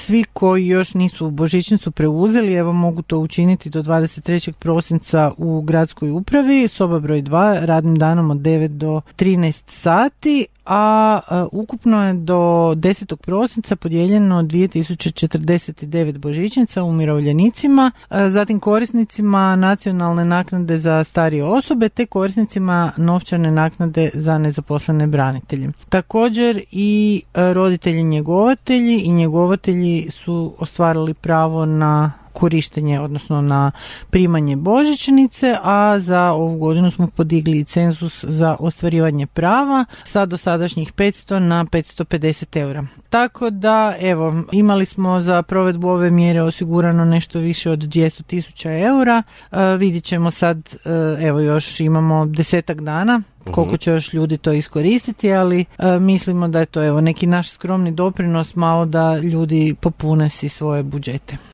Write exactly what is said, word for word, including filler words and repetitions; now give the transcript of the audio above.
svi koji još nisu božićnicu preuzeli, evo mogu to učiniti do dvadeset trećeg prosinca u gradskoj upravi, soba broj dva, radnim danom od devet do trinaest sati, a, a ukupno je do desetog prosinca podijeljeno dvije tisuće četrdeset devet božićnica umirovljenicima, a, zatim korisnicima nacionalne naknade za starije osobe te korisnicima novčane naknade za nezaposlene branitelje. Također i a, roditelji njegovatelji i njegovatelji su ostvarili pravo na korištenje, odnosno na primanje božićnice, a za ovu godinu smo podigli cenzus za ostvarivanje prava sa dosadašnjih petsto na petsto pedeset eura. Tako da, evo, imali smo za provedbu ove mjere osigurano nešto više od dvjesto tisuća eura. E, vidjet ćemo sad, e, evo još imamo desetak dana koliko će još ljudi to iskoristiti, ali e, mislimo da je to evo neki naš skromni doprinos malo da ljudi popune si svoje budžete.